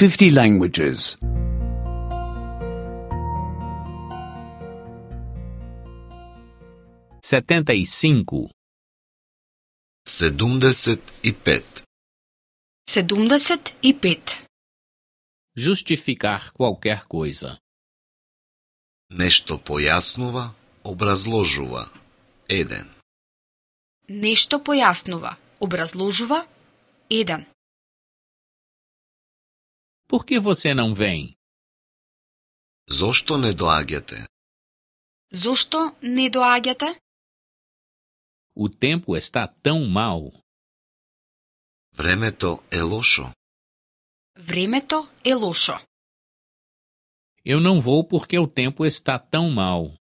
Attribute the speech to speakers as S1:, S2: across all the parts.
S1: 50 languages.
S2: 75.
S3: 75.
S4: 75.
S2: Justificar qualquer coisa.
S3: Нешто појаснува, образложува. 1.
S4: Нешто појаснува, образложува. 1.
S2: Por que você não vem?
S3: Зошто не доаѓате?
S4: Зошто не доаѓате?
S2: O tempo está tão mal.
S3: Времето е лошо.
S4: Времето е лошо.
S2: Eu não vou porque o tempo está tão mal.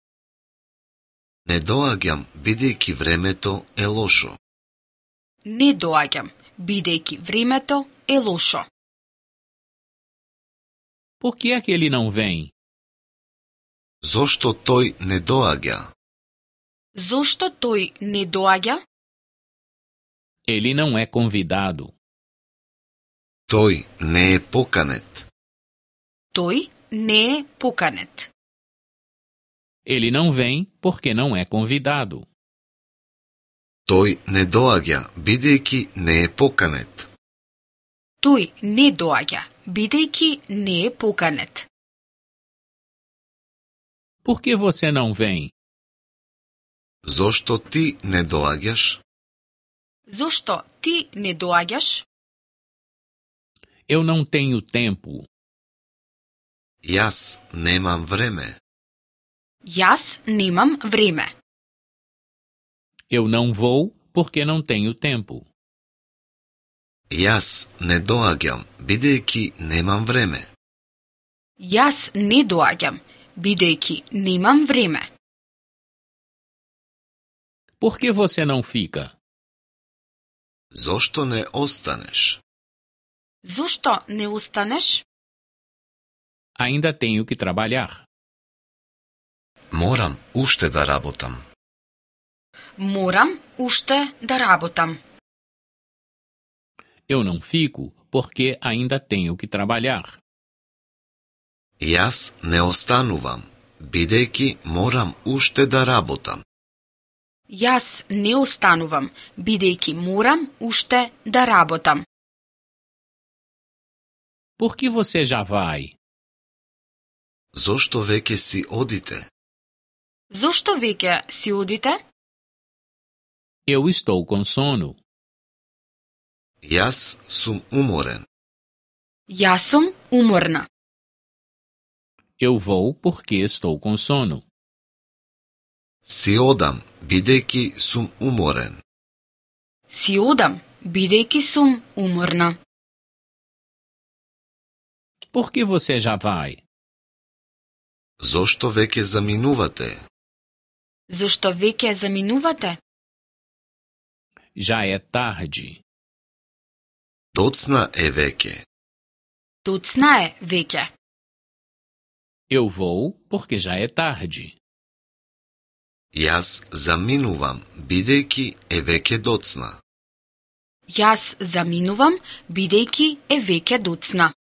S3: Не доаѓам, бидејќи времето е лошо.
S4: Не доаѓам, бидејќи времето е лошо.
S2: Por que é que ele não vem?
S3: Зошто тој не доаѓа?
S4: Зошто тој не доаѓа?
S2: Ele não é convidado.
S3: Тој не е поканет.
S4: Тој не е поканет.
S2: Ele não vem porque não é convidado.
S3: Тој не доаѓа, бидејќи не е поканет.
S4: Тој не доаѓа, бидејќи не е поканет.
S2: Por que você não vem?
S3: Зошто ти не доаѓаш?
S4: Зошто ти не доаѓаш?
S2: Eu não tenho tempo.
S3: Јас немам време.
S4: Јас немам време.
S2: Eu não vou porque não tenho tempo.
S3: Јас не доаѓам, бидејќи немам време.
S4: Јас не доаѓам, бидејќи немам време.
S2: Por que você não fica?
S3: Зошто не останеш?
S4: Зошто не останеш?
S2: Ainda tenho que trabalhar.
S3: Морам уште да работам.
S4: Морам уште да работам.
S2: Eu não fico porque ainda tenho que trabalhar.
S3: Јас не останувам, бидејќи морам уште да работам.
S4: Јас не останувам, бидејќи морам уште да работам.
S2: Por que você já vai?
S3: Зошто веќе си одите?
S4: Зошто веќе си одите?
S2: Eu estou com sono.
S3: Јас сум уморен.
S4: Јас сум уморна.
S2: Eu vou porque estou com sono.
S3: Си одам, бидејќи сум уморен.
S4: Си одам, бидејќи сум уморна.
S2: Por que você já vai?
S3: Зошто веќе заминувате?
S4: Зошто веќе заминувате?
S2: Já é tarde.
S3: Доцна е веќе.
S4: Доцна е веќе.
S2: Eu vou porque já é tarde.
S3: Јас заминувам, бидејќи е веќе доцна.
S4: Јас заминувам, бидејќи е веќе доцна.